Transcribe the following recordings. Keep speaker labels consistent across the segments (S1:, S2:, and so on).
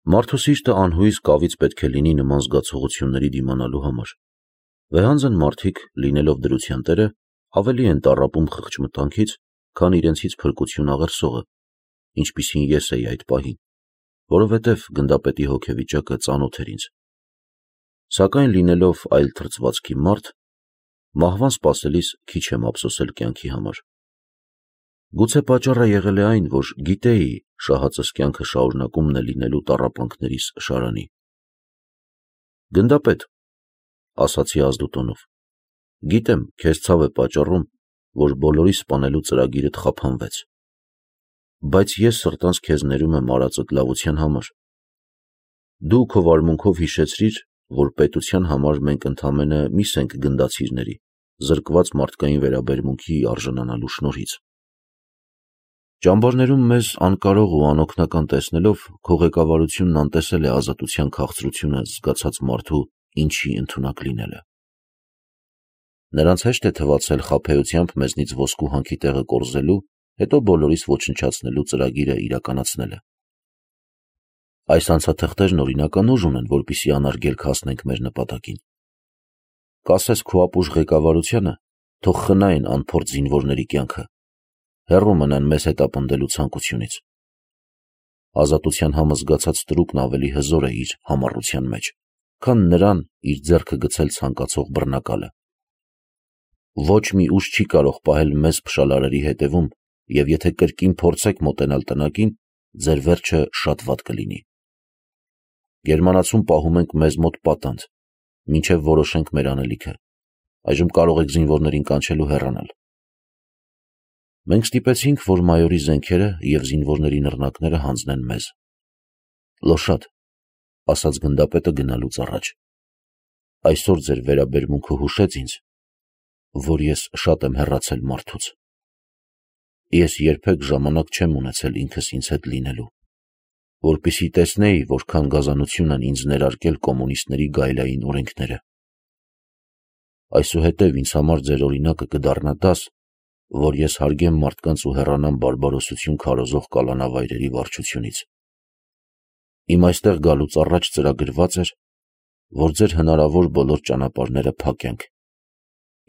S1: Մարդու սիրտը անհույս կավից պետք է լինի նման զգացողությունների դիմանալու համար։ Վեհանձն մարդիկ, լինելով դրության տերը, ավելի են տառապում խղճմտանքից, քան իրենցից փրկություն աղերսողը, ինչպիսին ես էի այդ պահին, որովհետև գնդապետի հոգեվիճակը ծանոթ էր ինձ։ Սակայն լինելով այլ թրծվածքի մարդ, մահվան սպասելիս քիչ եմ ափսոսել կյանքի համար։ Գուցե պատճառը եղել է այն, որ գիտեի շահածս կյանքը շարունակումն է լինելու տառապանքներիս շարանի։ Գնդապետ, ասացի ազդուտոնով, գիտեմ, քեզ ցավ է պատճառում, որ բոլորի սպանելու ծրագիրդ խափանվեց, բայց ես սրտանց քեզ ներում եմ արածդ լավության համար։ Դու քո վարմունքով հիշեցրիր, որ պետության համար մենք ընդամենը միս ենք գնդացիրների, զրկված մարդկային վերաբերմունքի արժանանալու շնորհից։ Ճամբարներում մեզ անկարող ու անօգնական տեսնելով, քո ղեկավարությունն անտեսել է ազատության քաղցրությունը զգացած մարդու ինչի ընդունակ լինելը։ Նրանց հեշտ է թվացել խաբեությամբ մեզնից ոսկու հանքի տեղը կորզելու, հետո բոլորիս ոչնչացնելու ծրագիրը իրականացնելը։ Այս անցաթղթերն օրինական ուժ ունեն, որպեսզի անարգելք հասնենք մեր նպատակին։ Կասես քո ապուշ ղեկավարությանը, թող խնայեն անփորձ զինվորների կյանքը, հեռու մնան մեզ հետապնդելու ցանկությունից։ Ազատության համոզգացած ստրուկն ավելի հզոր է իր համառության մեջ, քան նրան իր ձեռքը գցել ցանկացող բռնակալը։ Ոչ մի ուժ չի կարող պահել մեզ փշալարերի հետևում, և եթե կրկին փորձեք մոտենալ տնակին, ձեր վերջը շատ վատ կլինի։ Գերմանացում պահում ենք մեզ մոտ պատանդ, մինչև որոշենք մեր անելիքը, այժմ կարող եք զինվորներին կանչել ու հեռանալ։ Մենք ստիպեցինք, որ մայորի զենքերը և զինվորների նռնակները հանձնեն մեզ։ Լոշադ, ասաց գնդապետը գնալուց առաջ, այսօր ձեր վերաբերմունքը հուշեց ինձ, որ ես շատ եմ հեռացել մարդուց։ Ես երբեք ժամանակ չեմ ունեցել ինքս ինձ հետ լինելու, որպեսզի տեսնեի, որքան գազանություն են ինձ ներարկել կոմունիստների գայլային օրենքները։ Այսուհետև ինձ համար ձեր օրինակը կդառնա դաս, որ ես հարգեմ մարդկանց ու հեռանամ բարբարոսություն քարոզող կալանավայրերի վարչությունից։ Իմ այստեղ գալուց առաջ ծրագրված էր, որ ձեր հնարավոր բոլոր ճանապարհները փակենք,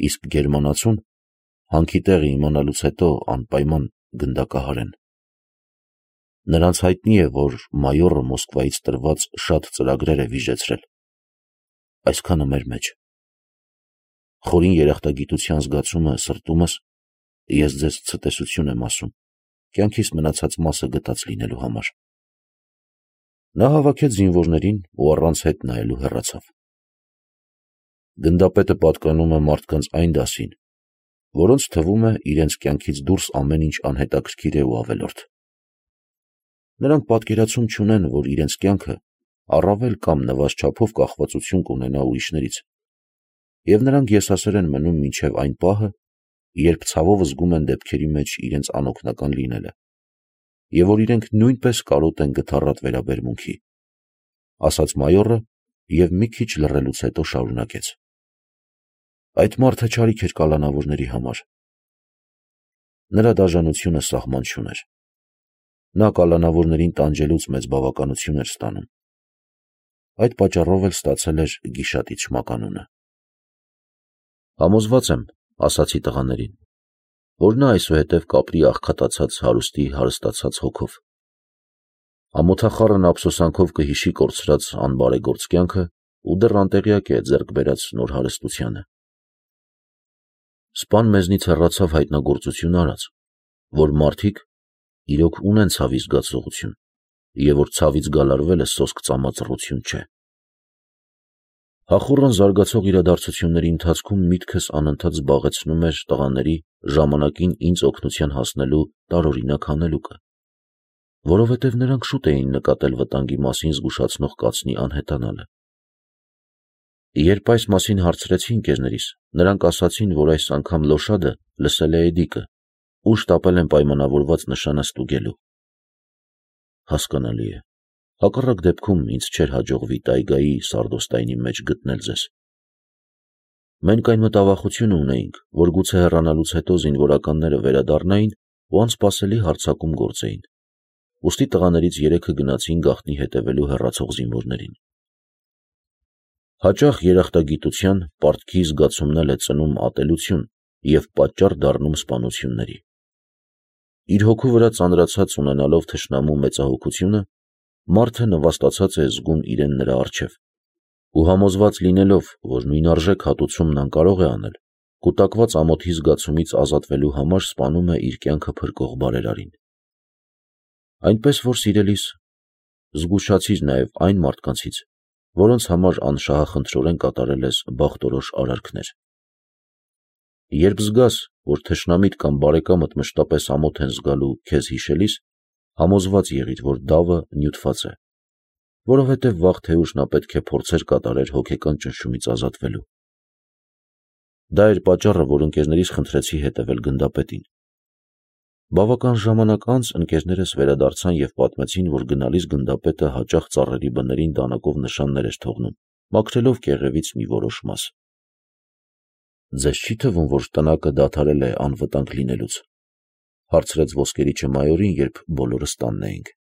S1: իսկ գերմանացուն հանքի տեղը իմանալուց հետո անպայման գնդակահարեն։ Նրանց հայտնի է, որ մայորը Մոսկվայից տրված շատ ծրագրեր է վիժեցրել։ Այսքանը մեր մեջ։ Խորին երախտագիտության զգացումը սրտումս, ես ձեզ ցտեսություն եմ ասում, կյանքիս մնացած մասը գտած լինելու համար։ Նա հավաքեց զինվորներին ու առանց հետ նայելու հեռացավ։ Գնդապետը պատկանում է մարդկանց այն դասին, որոնց թվում է իրենց կյանքից դուրս ամեն ինչ անհետաքրքիր է ու ավելորդ։ Նրանք պատկերացում չունեն, որ իրենց կյանքը առավել կամ նվազ չափով կախվածություն կունենա ուրիշներից, և նրանք եսասեր են մնում մինչև այն պահը, երբ ցավով զգում են դեպքերի մեջ իրենց անօգնական լինելը, և որ իրենք նույնպես կարոտ են գթառատ վերաբերմունքի, ասաց մայորը և մի քիչ լռելուց հետո շարունակեց. Այդ մարդը չարիք էր կալանավորների համար։ Նրա դաժանությունը սահման չուներ։ Նա կալանավորներին տանջելուց մեծ բավականություն էր ստանում։ Այդ պատճառով էլ ստացել էր գիշատիչ մականունը։ Համոզված եմ, ասացի տղաներին, որ նա այսուհետև կապրի աղքատացած հարուստի հարստացած հոգով։ Ամոթախառն ափսոսանքով կհիշի կորցրած անբարեգործ կյանքը ու դեռ անտեղյակ է ձեռք բերած նոր հարստությանը։ Սպան մեզնից հեռացավ հայտնագործություն արած, որ մարդիկ իրոք ունեն ցավի զգացողություն, և որ ցավից գալարվելը սոսկ ծամածռություն չէ։ Հախուռն զարգացող իրադարձությունների ընթացքում միտքս անընդհատ զբաղեցնում էր տղաների ժամանակին ինձ օգնության հասնելու տարօրինակ հանելուկը, որովհետև նրանք շուտ էին նկատել վտանգի մասին զգուշացնող կացնի անհետանալը։ Երբ այս մասին հարցրեցի ընկերներիս, նրանք ասացին, որ այս անգամ Լոշադը լսել է էդիկը ու շտապել են պայմանավորված նշանը ստուգելու։ Հասկանալի է, հակառակ դեպքում ինձ չէր հաջողվի տայգայի սարդոստայնի մեջ գտնել ձեզ։ Մենք այն մտավախությունը ունեինք, որ գուցե հեռանալուց հետո զինվորականները վերադառնային ու անսպասելի հարձակում գործեին։ ուստի տղաներից 3-ը գնացին գաղտնի հետևելու հեռացող զինվորներին։ Հաճախ երախտագիտության, պարտքի զգացումն էլ է ծնում ատելություն և պատճառ դառնում սպանությունների։ Իր հոգու վրա ծանրացած ունենալով թշնամու մեծահոգությունը, մարդը նվաստացած է զգում իրեն նրա առջև ու համոզված լինելով, որ նույնարժեք հատուցումն անկարող է անել, կուտակված ամոթի զգացումից ազատվելու համար սպանում է իր կյանքը փրկող բարերարին։ Այնպես որ, սիրելիս, զգուշացիր նաև այն մարդկանցից, որոնց համար անշահախնդրորեն կատարել ես բախտորոշ արարքներ։ Երբ զգաս, որ թշնամիդ կամ բարեկամդ մշտապես ամոթ են զգալու քեզ հիշելիս, համոզված եղիր, որ դավը նյութված է, որովհետև վաղ թե ուշ նա պետք է փորձեր կատարեր հոգեկան ճնշումից ազատվելու։ Դա էր պատճառը, որ ընկերներիս խնդրեցի հետևել գնդապետին։ Բավական ժամանակ անց ընկերներս վերադարձան և պատմեցին, որ գնալիս գնդապետը հաճախ ծառերի բներին դանակով նշաններ էր թողնում, մաքրելով կեղևից մի որոշ մաս։ Ձեզ չի թվում, որ տնակը դադարել է անվտանգ լինելուց, հարցրեց ոսկերիչը մայորին, երբ բոլորս տանն էինք։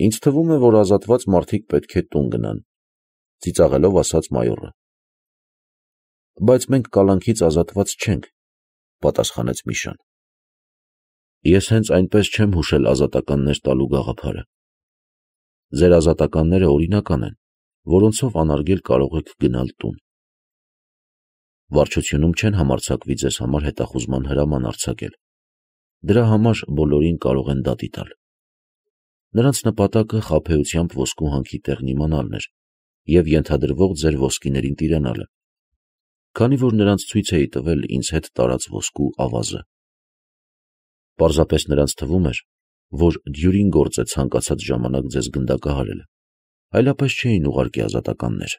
S1: Ինձ թվում է, որ ազատված մարդիկ պետք է տուն գնան, ծիծաղելով ասաց մայորը։ Բայց մենք կալանքից ազատված չենք, պատասխանեց Միշան։ Ես հենց այնպես չեմ հուշել ազատականներ տալու գաղափարը։ Ձեր ազատականները օրինական են, որոնցով անարգել կարող եք գնալ տուն։ Վարչությունում չեն համարձակվի ձեզ համար հետախուզման հրաման արձակել։ Դրա համար բոլորին կարող են դատի տալ։ Նրանց նպատակը խաբեությամբ ոսկու հանքի տեղն իմանալն էր և ենթադրվող ձեր ոսկիներին տիրանալը, քանի որ նրանց ցույց էի տվել ինձ հետ տարած ոսկու ավազը։ Պարզապես նրանց թվում էր, որ դյուրին գործ է ցանկացած ժամանակ ձեզ գնդակահարել, այլապես չէին ուղարկի ազատականներ։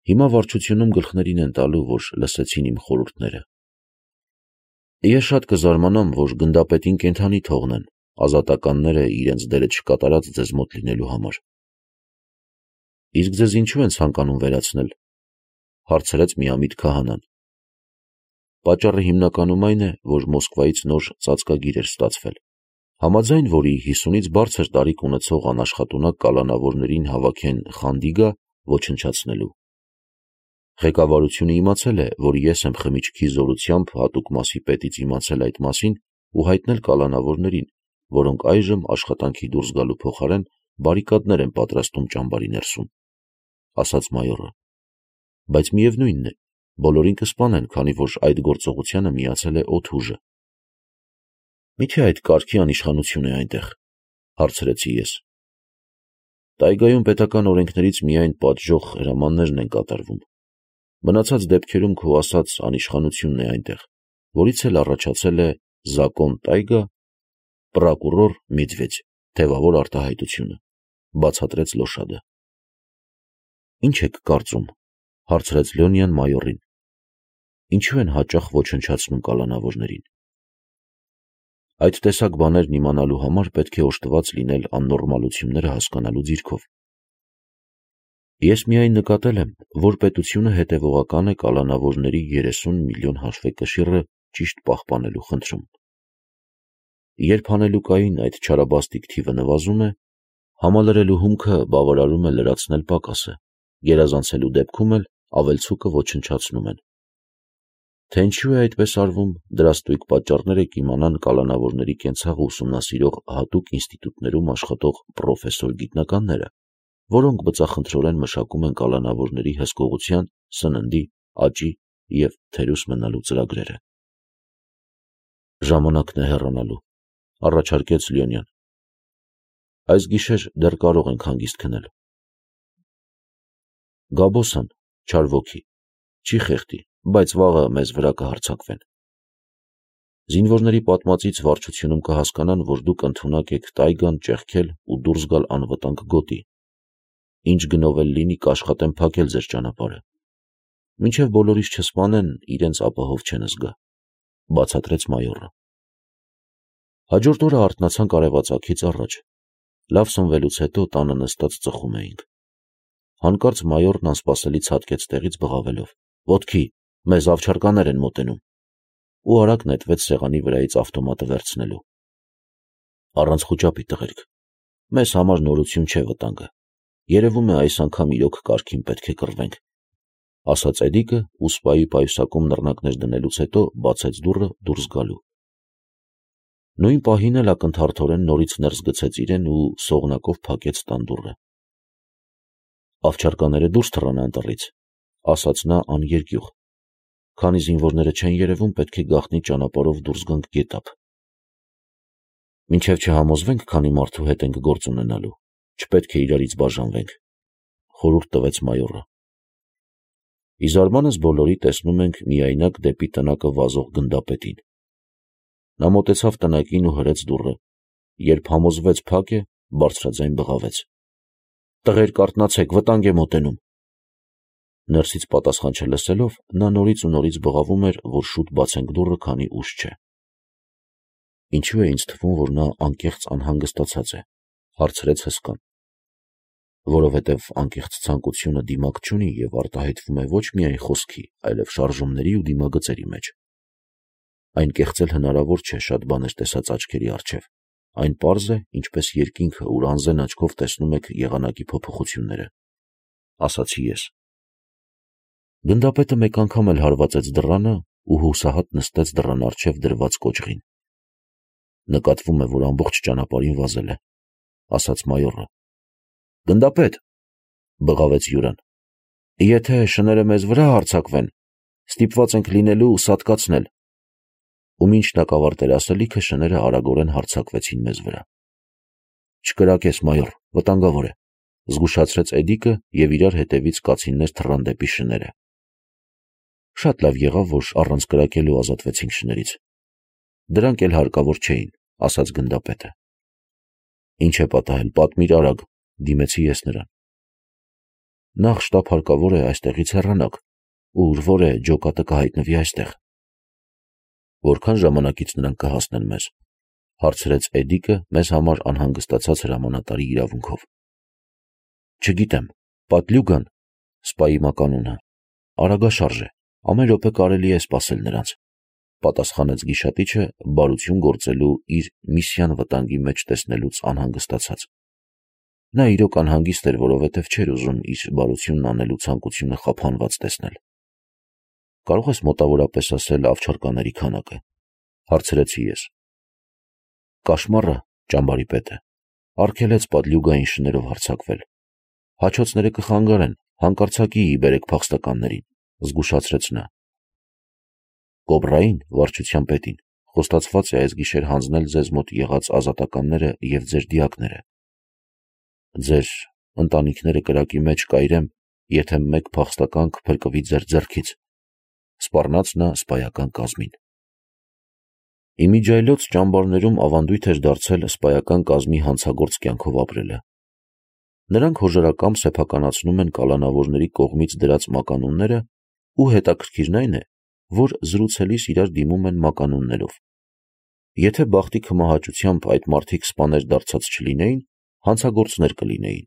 S1: Հիմա վարչությունում գլխներին են տալու, որ լսեցին իմ խորհուրդները։ Ես շատ կզարմանամ, որ գնդապետին կենդանի թողնեն, ազատականները իրենց դերը չկատարած ձեզ մոտ լինելու համար։ Իսկ ձեզ ինչու են ցանկանում վերացնել, հարցրեց միամիտ քահանան։ Պատճառը հիմնականում այն է, որ Մոսկվայից նոր ծածկագիր էր ստացվել, համաձայն որի 50-ից բարձր տարիք ունեցող անաշխատունակ կալանավորներին հավաքեն խանդիգա ոչնչացնելու։ Ղեկավարությունը իմացել է, որ ես եմ խմիչքի զորությամբ հատուկ մասի պետից իմացել այդ մասին ու հայտնել կալանավորներին, որոնք այժմ աշխատանքի դուրս գալու փոխարեն բարիկադներ են պատրաստում ճամբարի ներսում, ասաց մայորը։ Բայց միևնույնն է, բոլորին կսպանեն, քանի որ այդ գործողությանը միացել է օդուժը։ Մի՞թե այդ կարգի անիշխանություն է այնտեղ, հարցրեցի ես։ Տայգայում պետական օրենքներից միայն պատժող հրամաններն են կատարվում։ Մնացած դեպքերում քո ասած անիշխանությունն է այնտեղ, որից էլ առաջացել է Զակոն Տայգա, պրոկուրոր Մեդվեդև, թևավոր արտահայտությունը, բացատրեց Լոշադը։ Ինչ եք կարծում, հարցրեց Լյոնյան մայորին։ Ինչու են հաճախ ոչնչացնում կալանավորներին։ Այդ տեսակ բաներն իմանալու համար պետք է օժտված լինել աննորմալությունները հասկանալու դիրքով։ Ես միայն նկատել եմ, որ պետությունը հետևողական է կալանավորների 30 միլիոն հաշվեկշիռը ճիշտ պահպանելու խնդրում։ Երբ հանելուկային այդ չարաբաստիկ թիվը նվազում է, համալրելու հումքը բավարարում է լրացնել պակասը, գերազանցելու դեպքում էլ ավելցուկը ոչնչացնում են։ Թե ինչու է այդպես արվում, դրա ստույգ պատճառները կիմանան կալանավորների կենցաղը ուսումնասիրող հատուկ ինստիտուտներում աշխատող պրոֆեսոր գիտնականները, որոնք բծախնդրորեն մշակում են կալանավորների հսկողության, սննդի, աճի և թերուս մնալու ծրագրերը։ Ժամանակն է հեռանալու, առաջարկեց Լյոնյան։ Այս գիշեր դեռ կարող ենք հանգիստ քնել։ Գաբոսան, չար ոգի, չի խեղդի, բայց վաղը մեզ վրա կհարձակվեն։ Զինվորների պատմածից վարչությունում կհասկանան, որ դուք ընդունակ եք Տայգան ճեղքել ու դուրս գալ անվտանգ գոտի։ Ինչ գնով էլ լինի, կաշխատեն փակել ձեր ճանապարհը։ Մինչև բոլորիս չսպանեն, իրենց ապահով չեն զգա, բացատրեց մայորը։ Հաջորդ օրը արթնացանք արևածագից առաջ։ Լավ սնվելուց հետո տանը նստած ծխում էինք։ Հանկարծ մայորն անսպասելի ցատկեց տեղից բղավելով. «Ոտքի, մեզ ավչարկաներ են մոտենում», ու արագ նետվեց սեղանի վրայից ավտոմատը վերցնելու։ Առանց խուճապի տղերք, մեզ համար նորություն չէ վտանգը, երևում է այս անգամ իրոք կարգին պետք է կռվենք, ասաց Էդիկը ու սպայի պայուսակում նռնակներ դնելուց հետո բացեց դուռը դուրս գալու։ Նույն պահին էլ ակնթարթորեն նորից ներս գցեց իրեն ու սողնակով փակեց տան դուռը։ Ավճարկաները դուրս թռան անտառից, ասաց նա աներկյուղ, քանի զինվորները չեն երևում, պետք է գաղտնի ճանապարհով դուրս գանք գետափ։ Մինչև չհամոզվենք, քանի մարդու հետ ենք գործ ունենալու, չպետք է իրարից բաժանվենք, խորհուրդ տվեց մայորը։ Ի զարմանս բոլորի տեսնում ենք միայնակ դեպի տնակը վազող գնդապետին։ Նա մոտեցավ տնակին ու հրեց դուռը, երբ համոզվեց փակ է, բարձրաձայն բղավեց. «Տղերք, արթնացեք, վտանգ է մոտենում»։ Ներսից պատասխան չլսելով, նա նորից ու նորից բղավում էր, որ շուտ բացենք դուռը, քանի ուշ չէ։ Ինչու է ինձ թվում, որ նա անկեղծ անհանգստացած է, հարցրեց հսկան։ Որովհետև անկեղծ ցանկությունը դիմակ չունի և արտահայտվում է ոչ միայն խոսքի, այլև շարժումների ու դիմագծերի մեջ։ Այն կեղծել հնարավոր չէ շատ բաներ տեսած աչքերի առջև, այն պարզ է, ինչպես երկինքը, ուր անզեն աչքով տեսնում եք եղանակի փոփոխությունները, ասացի ես։ Գնդապետը մեկ անգամ էլ հարվածեց դռանը ու հուսահատ նստեց դռան առջև դրված կոճղին։ Նկատվում է, որ ամբողջ ճանապարհին վազել է, ասաց մայորը։ Գնդապետ, բղավեց Յուրան, եթե շները մեզ վրա հարձակվեն, ստիպված ենք լինելու սատկացնել։ Ու մինչ նա կավարտեր ասելիքը, շները արագորեն հարձակվեցին մեզ վրա։ Չկրակես, մայոր, վտանգավոր է, զգուշացրեց Էդիկը և իրար հետևից կացիններ թռան դեպի շները։ Շատ լավ եղավ, որ առանց կրակելու ազատվեցինք շներից։ Դրանք էլ հարկավոր չէին, ասաց գնդապետը։ Ինչ է պատահել, պատմիր արագ, դիմեցի ես նրան։ Նախ շտապ հարկավոր է այստեղից հեռանանք, ուր որ է ջոկատը կհայտնվի այստեղ։ Որքան ժամանակից նրանք կհասնեն մեզ, հարցրեց Էդիկը մեզ համար անհանգստացած հրամանատարի իրավունքով։ Չգիտեմ, Պատլյուգան, սպայի մականունը, արագաշարժ է, ամեն րոպե կարելի է սպասել նրանց, պատասխանեց գիշատիչը բարություն գործելու իր միսիան վտանգի մեջ տեսնելուց անհանգստացած։ Նա իրոք անհանգիստ էր, որովհետև չէր ուզում իր բարությունն անելու ցանկությունը խափանված տեսնել։ Կարող ես մոտավորապես ասել ավճարկաների քանակը, հարցրեցի ես։ Կաշմարը, ճամբարի պետը, արգելեց Պատլյուգային շներով հարձակվել։ Հաչոցները կխանգարեն, հանկարծակի բերեք փախստականներին, զգուշացրեց նա։ Կոբրային, վարչության պետին, խոստացված է այս գիշեր հանձնել ձեզ մոտ եղած ազատականները և ձեր դիակները։ Ձեր ընտանիքները կրակի մեջ կայրեմ, եթե մեկ փախստական կփրկվի ձեր ձեռքից, սպառնաց նա սպայական կազմին։ Իմիջիայլոց ճամբարներում ավանդույթ էր դարձել սպայական կազմի հանցագործ կյանքով ապրելը։ Նրանք հոժարակամ սեփականացնում են կալանավորների կողմից դրած մականունները ու հետաքրքիրն այն է, որ զրուցելիս իրար դիմում են մականուններով։ Եթե բախտի քմահաճությամբ այդ մարդիկ սպաներ դարձած չլինեին, հանցագործներ կլինեին։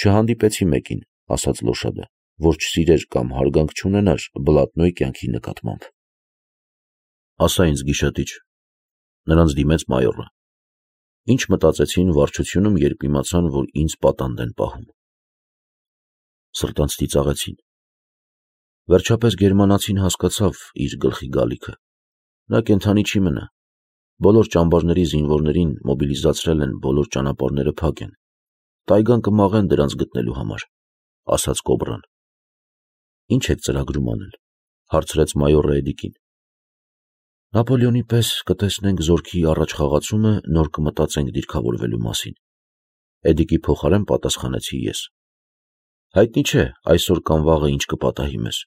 S1: Չհանդիպեցի մեկին, ասաց Լոշադը, որ չսիրեր կամ հարգանք չունենար Բլատնոյի կյանքի նկատմամբ։ Ասա ինձ, գիշատիչ, նրանց դիմեց մայորը։ Ինչ մտածեցին վարչությունում, երբ իմացան, որ ինձ պատանդ են պահում։ Սրտանց ծիծաղեցին։ Վերջապես գերմանացին հասկացավ իր գլխի գալիքը։ Նա կենդանի չի մնա։ Բոլոր ճամբարների զինվորներին մոբիլիզացրել են, բոլոր ճանապարհները փակ են։ Տայգան կմաղեն դրանց գտնելու համար, ասաց Կոբրան։ Ինչ եք ծրագրում անել, հարցրեց մայորը Էդիկին։ Նապոլեոնի պես կտեսնենք զորքի առաջխաղացումը, նոր կմտածենք դիրքավորվելու մասին։ Էդիկի փոխարեն պատասխանեցի ես։ Հայտնի չէ, այսօր կամ վաղը ինչ կպատահի մեզ։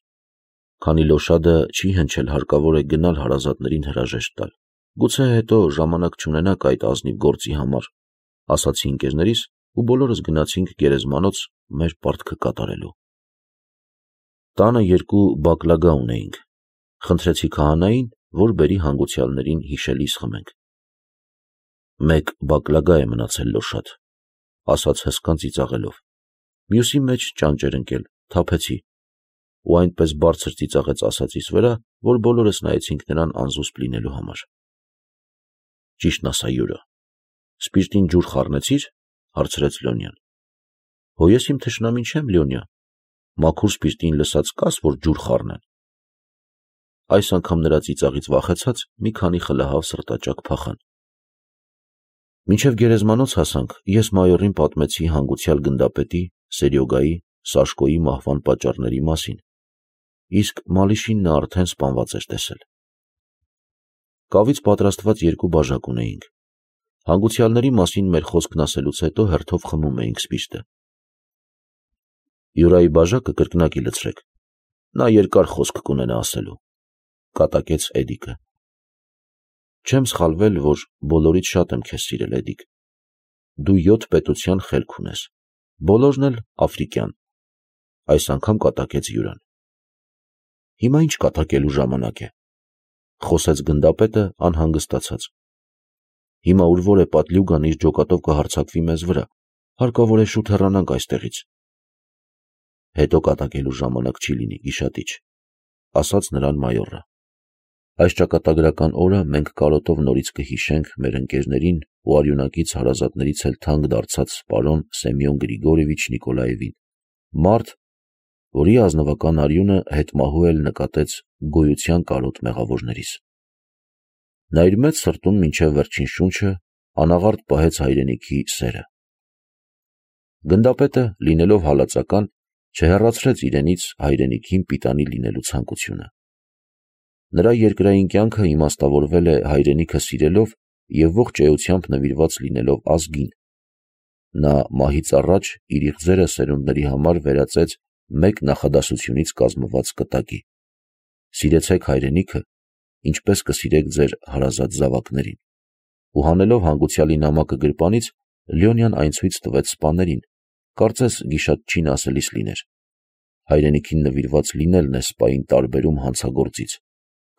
S1: Քանի Լոշադը չի հնչել, հարկավոր է գնալ հարազատներին հրաժեշտ տալ։ Գուցե հետո ժամանակ չունենաք այդ ազնիվ գործի համար, ասացի ընկերներիս ու բոլորս գնացինք գերեզմանոց մեր պարտքը կատարելու։ Տանը 2 բակլագա ունեինք։ Խնդրեցի քահանային, որ բերի հանգուցյալներին հիշելիս խմենք։ 1 բակլագա է մնացել Լոշադ, ասաց հսկան ծիծաղելով։ Մյուսի մեջ ճանճ էր ընկել, թափեցի, ու այնպես բարձր ծիծաղեց ասածիս վրա, որ բոլորս նայեցինք նրան անզուսպ լինելու համար։ Ճիշտն ասա, Յուրը, Սպիրտին ջուր խառնեցի՞ր, հարցրեց Լյոնյան։ Հո ես իմ թշնամին չեմ, Լյոնյա, մաքուր սպիրտին լսած կաս, որ ջուր խառնեն։ Այս անգամ նրա ծիծաղից վախեցած մի քանի խլահավ սրտաճակ փախան։ Մինչև գերեզմանոց հասանք, ես մայորին պատմեցի հանգուցյալ գնդապետի, Սերյոգայի, Սաշկոյի մահվան պատճառների մասին, իսկ Մալիշին նա արդեն սպանված էր տեսել։ Կավից պատրաստված երկու բաժակ ունեինք։ Հանգուցյալների մասին մեր խոսքն ասելուց հետո հերթով խմում էինք սպիրտը։ Յուրայի բաժակը կրկնակի լցրեք, նա երկար խոսք կունենա ասելու, կատակեց Էդիկը։ Չեմ սխալվել, որ բոլորից շատ եմ քեզ սիրել, Էդիկ։ Դու 7 պետության խելք ունես, բոլորն էլ աֆրիկյան, այս անգամ կատակեց Յուրան։ Հիմա ինչ կատակելու ժամանակ է, խոսեց գնդապետը անհանգստացած։ Հիմա ուր որ է պատլյուգան իր ջոկատով կհարձակվի մեզ վրա, հարկավոր է շուտ հեռանանք այստեղից։ Հետո կատակելու ժամանակ չի լինի, գիշատիչ, ասաց նրան մայորը։ Այս ճակատագրական օրը մենք կարոտով նորից կհիշենք մեր ընկերներին ու արյունակից հարազատներից էլ թանկ դարձած պարոն Սեմյոն Գրիգորիևիչ Նիկոլաևին, մարդ, որի ազնվական արյունը հետմահու էլ նկատեց գոյության կարոտ մեղավորներիս։ Նա իր մեծ սրտում մինչև վերջին շունչը անաղարտ պահեց հայրենիքի սերը։ Գնդապետը, լինելով հալածական, չհեռացրեց իրենից հայրենիքին պիտանի լինելու ցանկությունը։ Նրա երկրային կյանքը իմաստավորվել է հայրենիքը սիրելով և ողջ էությամբ նվիրված լինելով ազգին։ Նա մահից առաջ իր իղձերը սերունդների համար վերածեց մեկ նախադասությունից կազմված կտակի. «Սիրեցեք հայրենիքը, ինչպես կսիրեք ձեր հարազատ զավակներին»։ Ու հանելով հանգուցյալի նամակը գրպանից, Լյոնյան այն ցույց տվեց սպաներին, կարծես գիշատչին ասելիս լիներ. հայրենիքին նվիրված լինելն է սպային տարբերում հանցագործից,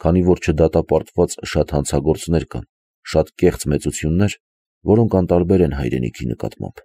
S1: քանի որ չդատապարտված շատ հանցագործներ կան, շատ կեղծ մեծություններ, որոնք անտարբեր են հայրենիքի նկատմամբ։